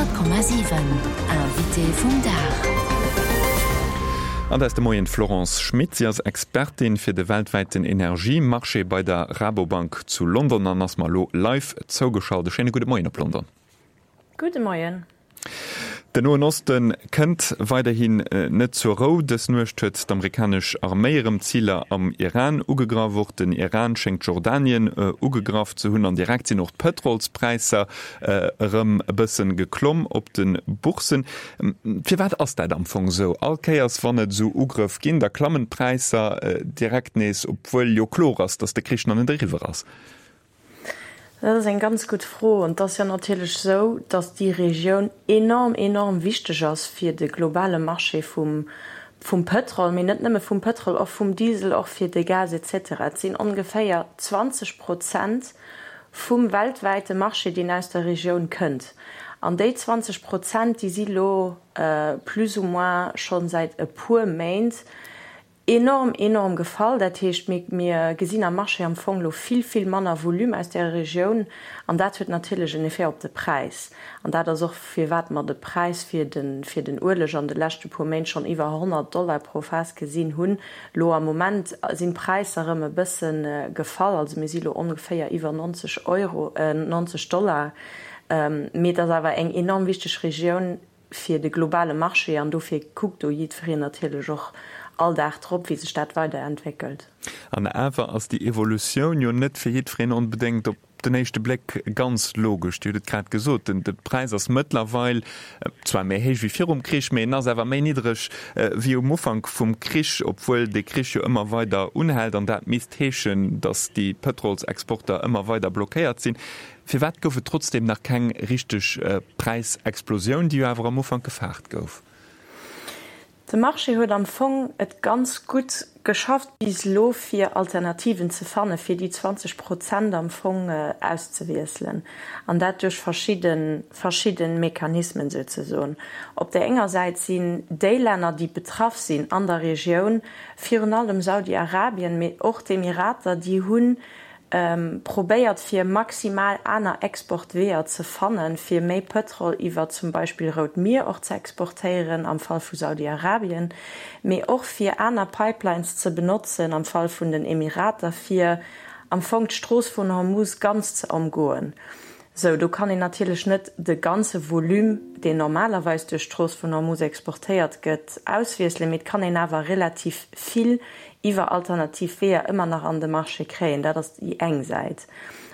100,7 Invité vum Dag. An dat ass de Moien d'Florence Schmit. Si ass Expertin fir de weltwäiten Energiemarché bei der Rabobank zu London an ass mer elo live zougeschalt. E schéine gudde Moien op London. Gudde Moien. Den Noen Oste kënnt weiderhin net zur Rou. Dës Nuecht huet d'amerikanesch Arméi erëm Ziler am Iran ugegraff. Och den Iran schéngt Jordanien ugegraff ze hunn an direkt sinn och d'Pëtrolspräisser erëm e bësse geklomm op de Bourssen. Firwat ass dat am Fong esou? All Kéiers wann et esou Ugrëff ginn, da klammen d'Präisser direkt nees, obwuel jo kloer ass, datt de Krich nach net eriwwer ass. Dat ass eng ganz gutt Fro. An et ass jo natierlech esou, datt déi Regioun enorm, enorm wichteg ass fir de globale Marché vum, vum Pëtrol, mee net nëmme vum Pëtrol, och vum Diesel, och fir de Gas et cetera. Et sinn ongeféier 20 Prozent vum weltwäite Marché, deen aus der Regioun kënnt. An déi 20 Prozent, déi si lo plus ou moins scho säit e puer Méint Enorm, enorm gefall. Dat heescht, mir, mir gesinn am Marché am Fong elo vill, vill manner Volume aus där Regioun an dat huet natierlech en Effet op de Präis. An dat ass och, firwat mer de Präis fir de, fir den Ueleg an de leschte puer Méint schonn iwwer 100 Dollar pro Faass gesinn hunn. Elo am Moment sinn d'Präisser erëm e bësse gefall, also mir si elo ongeféier iwwer 90 Euro, 90 Dollar. Mee et ass awer eng enorm wichteg Regioun fir de globale Marché an dofir kuckt do jiddwereen natierlech och all Dag drop, wéi sech dat weiderentwéckelt. An awer ass déi Evolutioun jo net fir jiddwereen onbedéngt op den éischte Bléck ganz logesch. Dir hutt et grad gesot, de Präis ass mëttlerweil zwar méi héich wéi virum Krich, mee en ass awer méi niddreg wéi um Ufank vum Krich, obwuel dee Krich jo ëmmer weider unhält. An dat misst heeschen, datt déi Pëtrolsexporter ëmmer weider blockéiert sinn. Firwat gouf et trotzdeem nach keng richteg Präisexplosioun, déi jo awer am Ufank gefaart gouf? De Marché huet am Fong et ganz gutt geschafft bis elo, fir Alternativen ze fannen, fir déi 20 Prozent am Fong auszewiesselen, an dat duerch verschidde verschidde Mechanismen souzesoen. Op där enger Säit sinn déi Länner, déi betraff sinn an der Regioun, virun allem Saudi-Arabien, mee och d'Emirater, déi hunn probéiert fir maximal aner Exportweeër ze fannen, fir méi Pëtrol iwwer zum Beispill Rout Mier och ze exportéieren am Fall vu Saudi-Arabien, mee och fir aner Pipelines ze benotzen am Fall vun den Emirater, fir am Fong d'Strooss vun Hormuz ganz ze ëmgoen. Sou, do kann een natierlech net de ganze Volume, deen normalerweis duerch d'Strooss vun Hormuz exportéiert gëtt, auswiesselen, mee et kann een awer relativ vill iwwer alternativ Weeër ëmmer nach an de Marché kréien. Dat ass déi eng Säit.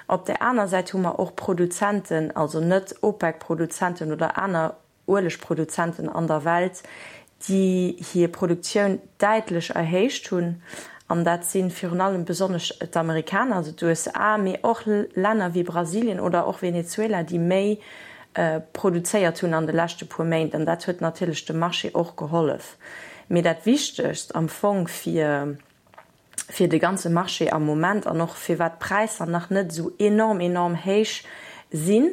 Op där aner Säit hu mer och Produzenten, also net OPEC-Produzenten oder aner Uelegproduzenten an der Welt, déi hir Produktioun däitlech erhéicht hunn, an dat si virun allem besonnesch d'Amerikaner, also d'USA, mee och Länner wéi Brasilien oder och Venezuela, déi méi produzéiert hunn an de leschte puer Méint. An dat huet natierlech dem Marché och gehollef. Mee dat Wichtegst am Fong fir fir de ganze Marché am Moment an och firwat d'Präisser nach net esou enorm, enorm héich sinn,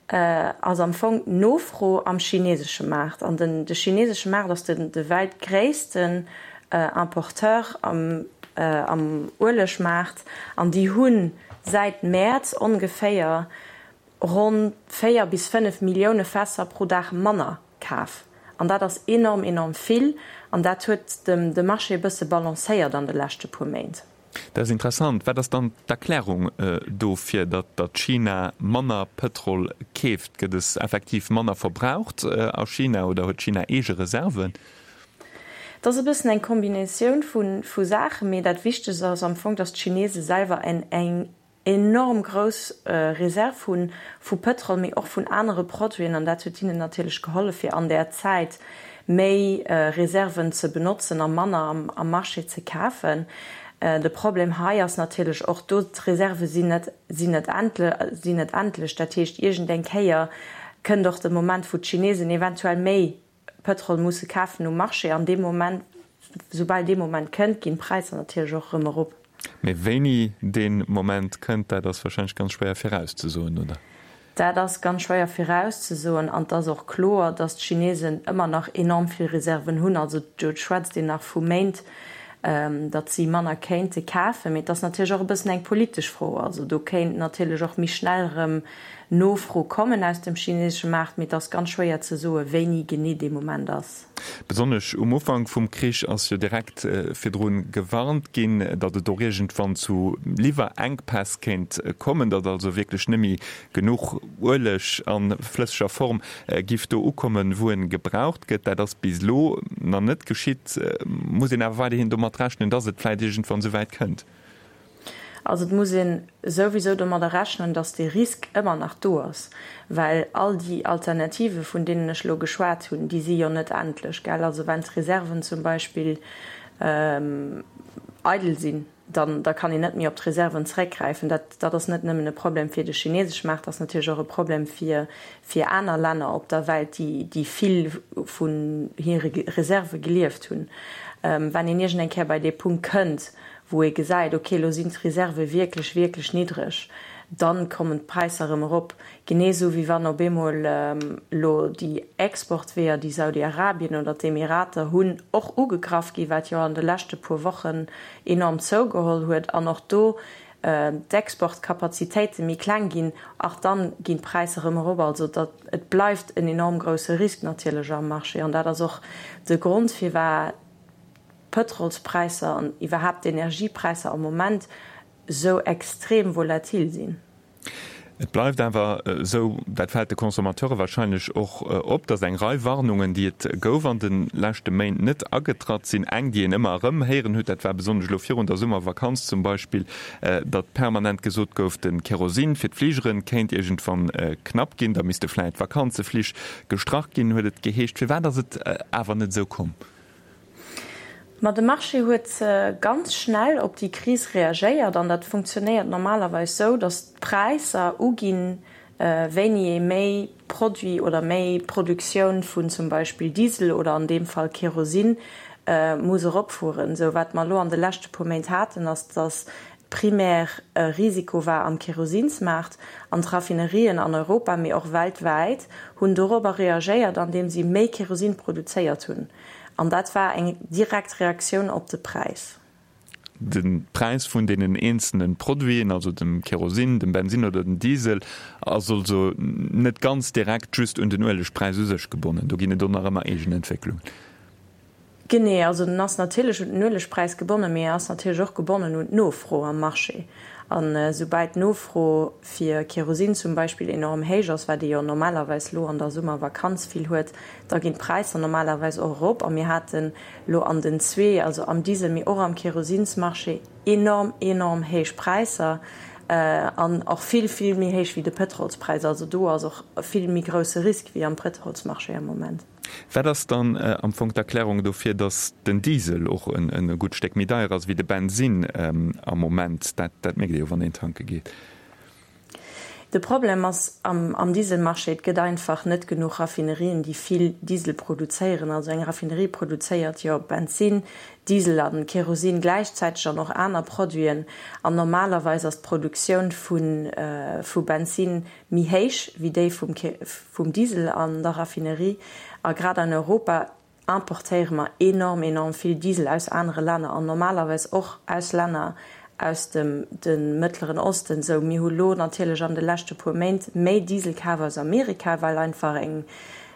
ass am Fong d'Nofro am chinesesche Maart. An den de chinesesche Maart ass den de weltgréissten Importeur am am Uelegmaart an déi hu säit Mäerz ongeféier ronn 4 bis 5 Millioune Fässer pro Dag manner kaf. An dat ass enorm, enorm vill. An dat huet de Marché e bësse balancéiert an de leschte puer Méint. Dat ass interessant. Wat ass dann d'Erklärung dofir, datt China manner Pëtrol keeft? Gëtt es effektiv manner verbraucht a China oder huet China eege Reserven? Et ass e bëssen eng Kombinatioun vu Saachen, mee dat Wichtegst ass am Fong, datt d'Chinese selwer eng enorm grouss Reserve hu vu Pëtrol, mee och vun anere Produiten, an dat huet hinnen natierlech gehollef, fir an där Zäit méi Reserven ze benotzen a manner am Marché ze kafen. De Problem hei ass natierlech och do, d'Reserve sinn net sinn net sinn net endlech. Dat heescht, iergendeng Kéier kënnt och de Moment, wou d'Chinesen eventuell méi Pëtrol musse kafen um Marché an dee Moment, soubal dee Moment kënnt, ginn d'Präisser natierlech och erëm erop. Mee wéini dee Moment kënnt, dat ass warscheinlech ganz schwéier virauszesoen, oder? Dat ass ganz schwéier virauszesoen an et ass och kloer, datt d'Chinesen ëmmer nach enorm vill Reserven hunn. Also do schwätzt een nach vu Méint, datt si manner kéinte kafen. Mee et ass natierlech och e bëssen eng politesch Fro. Also do kéint natierlech och méi schnell erëm. Nofro kommen aus dem chinesesche Maart, mee et ass ganz schwéier ze soen, wéini genee dee Moment ass. Besonnesch um Ufank vum Krich ass jo direkt virdru gewarnt ginn, datt et och iergendwann zu Liwwerenkpäss kéint kommen, datt also wierklech net méi genuch Ueleg a flësseger Form giff do ukommen, wou en gebraucht gëtt. Dat ass bis elo nach net geschitt. Muss een awer weiderhin domat rechnen, datt et vläit iergendwann esouwäit kënnt? Also et muss ee souwisou domadder rechnen, datt dee Risk ëmmer nach do ass, well all déi Alternative vun deenen ech elo geschwat hunn, déi si jo net endlech, gell. Also wenn d'Reserven zum Beispill eidel sinn, dann da kann een net méi op d'Reserven zeréckgräifen. Dat dat ass net nëmmen e Problem fir de chinesesch Maart, dat ass natierlech och e Problem fir fir aner Länner op der Welt, déi déi vill vun hire Reserve gelieft hunn. Wenn een iergend eng Kéier bei dee Punkt kënnt, wou ee gesäit, ok, elo sinn d'Reserve wierklech, wierklech niddreg, dann kommen d'Präisser erëm erop. Genee esou wéi wann op eemol elo déi Exportweeër, déi Saudi-Arabien oder d'Emirater hunn, och ugegraff ginn, wat jo an de leschte puer Wochen enorm zougeholl huet, an och do d'Exportkapazitéite méi kleng ginn, och dann ginn d'Präisser erëm erop. Also dat, et bleift en enorm grousse Risk natierlech am Marché an dat ass och de Grond firwat d'Pëtrolspräisser an iwwerhaapt d'Energiepräisser am Moment esou extrem volatil sinn. Et bleift awer esou, dat fält de Consommateure wahrscheinlech och op, datt eng Rei Warnungen, déi et gouf an de leschte Méint, net agetratt sinn. Eng, déi een ëmmer erëm héieren huet, dat war besonnesch elo virun der Summervakanz zum Beispill, datt permanent gesot gouf, de Kerosin fir d'Fligere kéint iergendwann knapp ginn, da misste vläit Vakanzeflich gestrach ginn, huet et geheescht. Firwat ass et awer net esou komm? Ma de Marché huet ganz schnell op déi Kris reagéiert an dat funktionéiert normalerweis sou, datt d'Präisser uginn, wéini ee méi Produit oder méi Produktioun vun zum Beispill Diesel oder an deem Fall Kerosin muss eropfueren. Sou wat mer elo an de leschte puer Méint haten, ass, datt primär e Risiko war am Kerosinsmaart an d'Raffinerien an Europa, mee och weltwäit, hunn dorobber reagéiert, andeem si méi Kerosin produzéiert hunn. An dat war eng direkt Reaktioun op de Präis. De Präis vun deenen eenzelne Produiten, also dem Kerosin, dem Bensin oder dem Diesel, ass also net ganz direkt just un den Uelegpräis u sech gebonnen. Do ginn et och nach ëmmer eegen Entwécklungen. Genee, also en ass natierlech un den Uelegpräis gebonnen, mee en ass natierlech och gebonnen un d'Nofro am Marché. An esoubal d'Nofro fir Kerosin zum Beispill enorm héich ass, wat ee jo normalerweis elo an der Summervakanz vill huet, da ginn d'Präisser normalerweis och erop. A mir haten elo an den zwee, also am Diesel, mee och am Kerosinsmarché enorm, enorm héich Präisser an och vill, vill méi héich wéi de Pëtrolspräis. Also do ass och e vill méi grousse Risk wéi am Pëtrolsmarché am Moment. Wat ass dann am Fong d'Erklärung dofir, datt den Diesel och e gutt Stéck méi deier ass wéi de Bensinn am Moment? Dat mierkt ee jo, wann een tanke geet. De Problem ass am Dieselmarché, et gëtt einfach net genuch Raffinerien, déi vill Diesel produzéieren. Also eng Raffinerie produzéiert jo Bensinn, Diesel a Kerosin gläichzäiteg an och aner Produiten. An normalerweis ass d'Produktioun vu Bensinn méi héich wéi déi vum Diesel an der Raffinerie. A grad an Europa importéiere mer enorm, enorm vill Diesel aus anere Länner an normalerweis och aus Länner aus dem de Mëttleren Osten. Sou, mir hu lo natierlech an de leschte puer Méint méi Diesel kaf aus Amerika, well einfach eng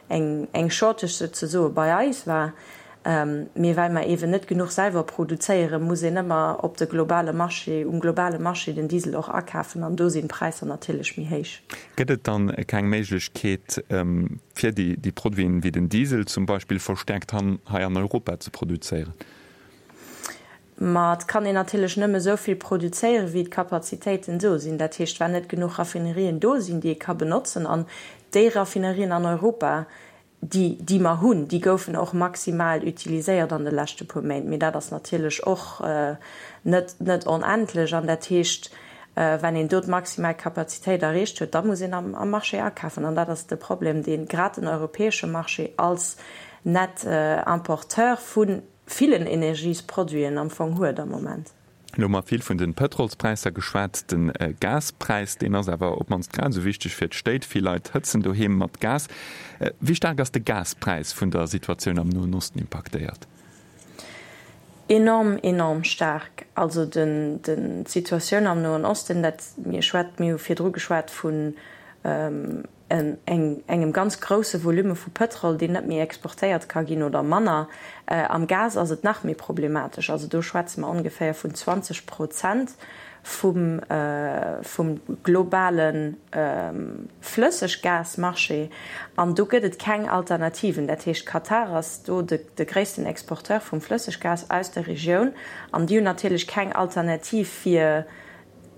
eng Shortage souzesoe bei eis war. Mee well mer eeben net genuch selwer produzéieren, muss een ëmmer op de globale Marché, um globale Marché den Diesel och akafen an do sinn d'Präisser natierlech méi héich. Gëtt et dann keng Méiglechkeet, fir déi Produiten wéi den Diesel zum Beispill verstäerkt hei an Europa ze produzéieren? Ma et kann een natierlech nëmme esou vill produzéieren, wéi d'Kapazitéiten do sinn. Dat heescht, wann net genuch Raffinerien do sinn, déi ee ka benotzen, an déi Raffinerien an Europa, Déi, déi mer hunn, déi goufen och maximal utiliséiert an de leschte puer Méint. Mee dat ass natierlech och net, net onendlech. An dat heescht, wann een do d'maximal Kapazitéit erreecht huet, da muss een am, am Marché akafen. An dat ass de Problem, dee grad den europäesche Marché als net Importeur vu villen Energiesproduiten am Fong huet am Moment. Elo hu mer vill vun de Pëtrolspräisser geschwat. De Gaspräis, deen ass awer op d'mannst grad esou wichteg fir d'Stéit. Vill Leit hëtzen doheem mat Gas. Wéi staark ass de Gaspräis vun der Situatioun am Noen Osten impaktéiert? Enorm, enorm staark. Also den, den, d'Situatioun am Noen Osten, dat, mir schwät, mir hu virdru geschwat vu. engem ganz grousse Volume vu Pëtrol, deen net méi exportéiert ka ginn oder manner. Am Gas ass et nach méi problematesch. Also do schwätze mer ongeféier vun 20 Prozent vum globale Flësseggasmarché. An do gëtt et keng Alternativen. Dat heescht, Katar ass do de gréissten Exporteur vum Flësseggas aus der Regioun. An déi hunn natierlech keng Alternativ fir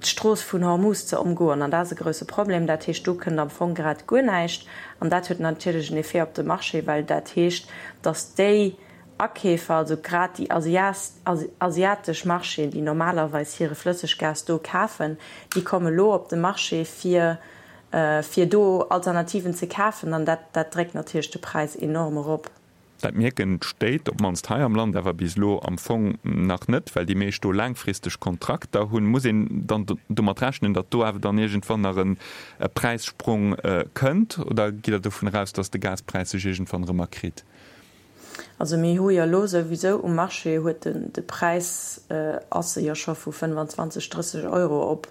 d'Strooss vun Hormuz ze ëmgoen, an dat ass e grousse Problem. Dat heescht, do kënnt am Fong grad guer näischt. An dat huet natierlech en Effet op de Marché, well dat heescht, datt déi Akeefer, also grad déi asiatesch Marchéen, déi normalerweis hire Flësseggas do kafen, déi komme lo op de Marché, fir fir do Alternativen ze kafen. An dat dat dréckt natierlech de Präis enorm erop. Dat mierken d'Stéit, op d'mannst hei am Land, awer bis elo am Fong nach net, well déi meescht do laangfristeg Kontrakter hunn. Muss een dann domat rechnen, datt do awer dann iergendwann nach e Präissprong kënnt oder gitt Der dovun eraus, datt de Gaspräis sech iergendwann erëm erkritt? Also mir hu jo elo souwisou um Marché huet de Präis ass e jo scho vu 25, 30 Euro op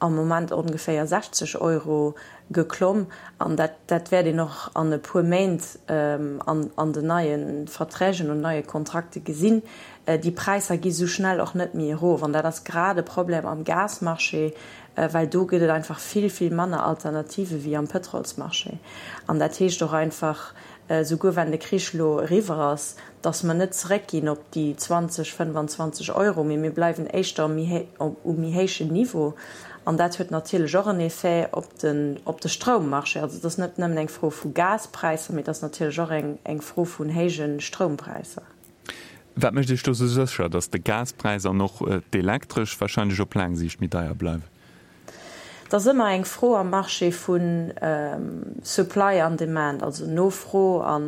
am Moment ongeféier 60 Euro geklomm an dat dat wäert een och an e puer Méint an an den neie Verträgen und neie Kontrakte gesinn. Déi Präisser gi sou schnell och net méi erof an dat ass grad e Problem am Gasmarché, well do gëtt et einfach vill, vill manner Alternative wéi am Pëtrolsmarché. An dat heescht och einfach, souguer wenn de Krich elo eriwwer ass, datt mer net zeréckginn op déi 20, 25 Euro, mee mir bleiwen éischter um méi héijen Niveau. An dat huet natierlech och en Effet op den, op de Stroummarché. Also et ass net nëmmen eng Fro vu Gaspräisser, mee et ass natierlech och eng, eng Fro vun héije Stroumpräisser. Wat mécht Iech do esou sécher, datt de Gaspräis an och d'Elektresch wahrscheinlech op laang Siicht méi deier bleiwen? Et ass ëmmer eng Fro am Marché vu Supply an Demand, also Nofro a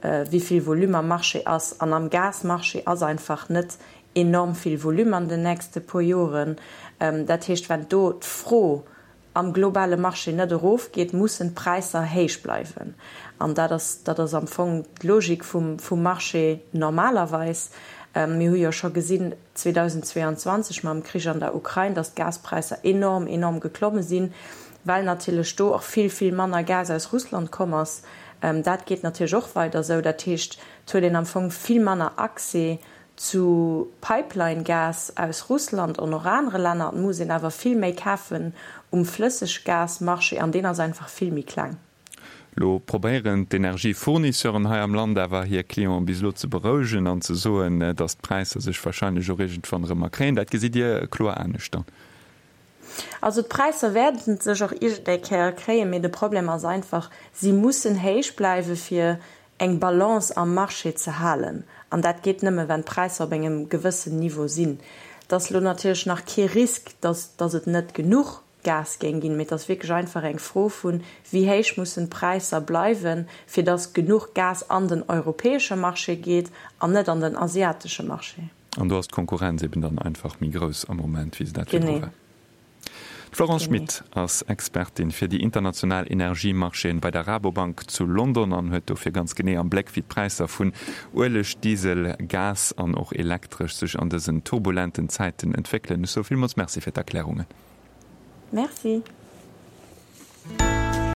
wéi vill Volume am Marché ass. An am Gasmarché ass einfach net enorm vill Volume an den nächste puer Joren. Dat heescht, wenn do d'Fro am globale Marché net erofgeet, mussen d'Präisser héich bleiwen. An dat ass, dat ass am Fong d'Logik vum, vum Marché normalerweis. Mir hu jo scho gesinn 2022 mam Krich an der Ukrain, datt d'Gaspräisser enorm, enorm geklomme sinn, well natierlech do och vill, vill manner Gas aus Russland komm ass. Dat geet natierlech och weider esou. Dat heescht, et huet een am Fong vill manner Accès zu Pipeline-Gas aus Russland an och anere Länner. Et muss een awer vill méi kafen um Flësseggasmarché an deen ass einfach vill méi kleng. Lo probéieren d'Energiefournisseuren hei am Land awer hir Clienten bis elo ze berouegen an ze soen, datt d'Präisser sech warscheinlech och iergendwann erëm erkréien. Dat gesitt Dir kloer anescht dann? Also d'Präisser wäerten sech och iergendeng Kéier erkréien, mee de Problem ass einfach, si mussen héich bleiwe fir eng Balance am Marché ze halen. An dat geet nëmme wenn d'Präisser op engem gewëssen Niveau sinn. Et ass elo natierlech nach kee Risk, datt datt et net genuch Gas géing ginn, mee et ass wierklech einfach eng Fro vun, wéi héich mussen d'Präisser bleiwen, fir datt genuch Gas an den europäesche Marché geet an net an den asiatesche Marché. An do ass d'Konkurrenz eben dann einfach méi grouss am Moment, wéi se dat virdru war. D'Florence Schmit ass Expertin fir déi international Energiemarchéen bei der Rabobank zu London an huet dofir ganz genee am Bléck, wéi d'Präisser vun Ueleg, Diesel, Gas an och Elektresch sech an dësen turbulenten Zäiten entwéckelen. Ech soe villmools Merci fir d'Erklärungen. Merci.